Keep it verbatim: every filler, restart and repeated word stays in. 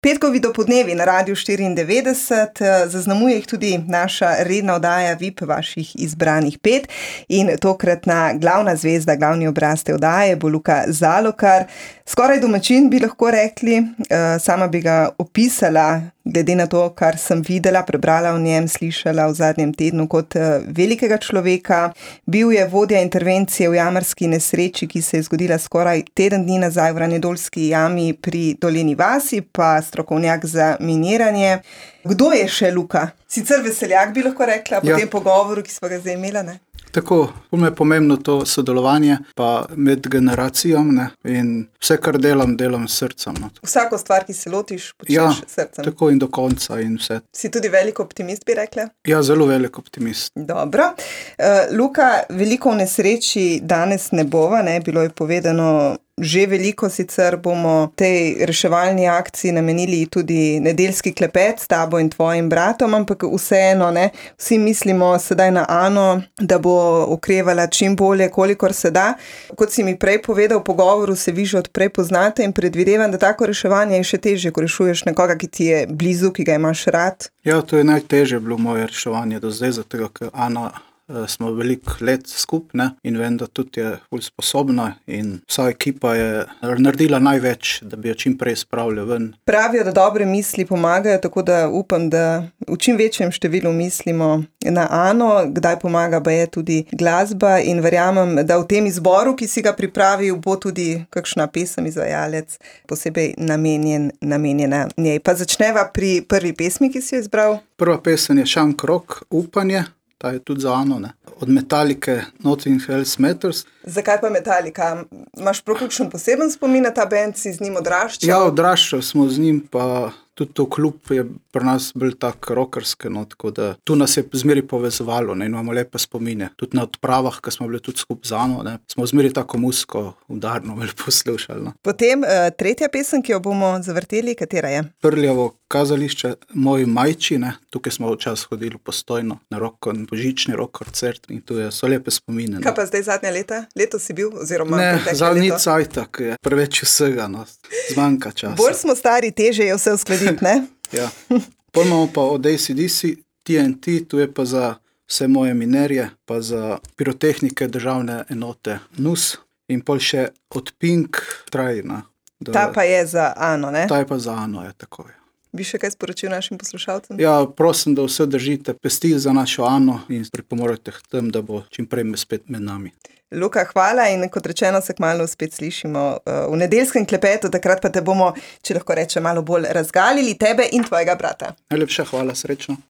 Petkovi dopodnevi na Radiu štiriindevetdeset, zaznamuje jih tudi naša redna oddaja V I P vaših izbranih pet in tokratna glavna zvezda, glavni obraz te oddaje bo Luka Zalokar. Skoraj domačin bi lahko rekli, sama bi ga opisala, glede na to, kar sem videla, prebrala o njem, slišala v zadnjem tednu kot velikega človeka. Bil je vodja intervencije v jamarski nesreči, ki se je zgodila skoraj teden dni nazaj v Ranjedoljski jami pri Dolenji vasi, pa strokovnjak za miniranje. Kdo je še Luka? Sicer veseljak bi lahko rekla, po ja. tem pogovoru, ki smo ga zdaj imela, ne? Tako, bolj me je pomembno to sodelovanje, pa med generacijami, ne, in vse, kar delam, delam s srcem. No. Vsako stvar, ki se lotiš, počneš ja, s srcem. Tako in do konca in vse. Si tudi velik optimist, bi rekla? Ja, zelo velik optimist. Dobro. Uh, Luka, veliko v nesreči danes ne bova, ne, bilo je povedano že veliko, sicer bomo tej reševalni akciji namenili tudi nedeljski klepet s tabo in tvojim bratom, ampak vseeno, ne, vsi mislimo sedaj na Ano, da bo okrevala čim bolje, kolikor se da. Kot si mi prej povedal, v pogovoru se vi že odprej poznate in predvidevam, da tako reševanje je še težje, ko rešuješ nekoga, ki ti je blizu, ki ga imaš rad. Ja, to je najtežje bilo moje reševanje do zdaj, zato ker Ana smo veliko let skupaj in vem, da tudi je ful sposobna in vsa ekipa je naredila največ, da bi jo čim prej spravili ven. Pravijo, da dobre misli pomagajo, tako da upam, da v čim večjem številu mislimo na Ano, kdaj pomaga pa je tudi glasba in verjamem, da v tem izboru, ki si ga pripravil, bo tudi kakšna pesem izvajalec posebej namenjen, namenjena njej. Pa začneva pri prvi pesmi, ki si jo izbral. Prva pesem je Šank Rock, Upanje. Ta je tudi za Ano, ne. Od Metalike Nothing Else Matters. Zakaj pa Metalika? Imaš prav kakšen poseben spomin na ta band, si z njim odraščal? Ja, odraščal smo z njim, pa tudi to klub je pri nas bil tak rockerski, no, tako da tu nas je zmeri povezovalo, ne, in imamo lepe spomine. Tudi na odpravah, ko smo bili tudi skupaj z Ano, ne, smo zmeri tako muziko udarno vel poslušali, no. Potem uh, tretja pesem, ki jo bomo zavrteli, katera je? Prljavo kazališče, Moji majči, ne, tukaj smo včasih hodili Postojno na rock, božični rock koncert in tu je, so lepe spomine. Kaj pa zdaj zadnja leta? Leto si bil? Oziroma ne, zadnji cajtak je preveč vsega, no, zmanjka časa. Bolj smo stari, teže je vse uskladiti, ne? Ja. Potem imamo pa od A C D C, T N T, tu je pa za vse moje minerje, pa za pirotehnike državne enote N U S in pol še od Pink Trajna. Da, ta pa je za Ano, ne? Ta je pa za Ano, je tako je. Bi še kaj sporočil našim poslušalcem? Ja, prosim, da vse držite pesti za našo Ano in pripomorete k tem, da bo čim prej spet med nami. Luka, hvala in kot rečeno se kmalu spet slišimo v nedeljskem klepetu, takrat pa te bomo, če lahko rečem, malo bolj razgalili, tebe in tvojega brata. Najlepša hvala, srečno.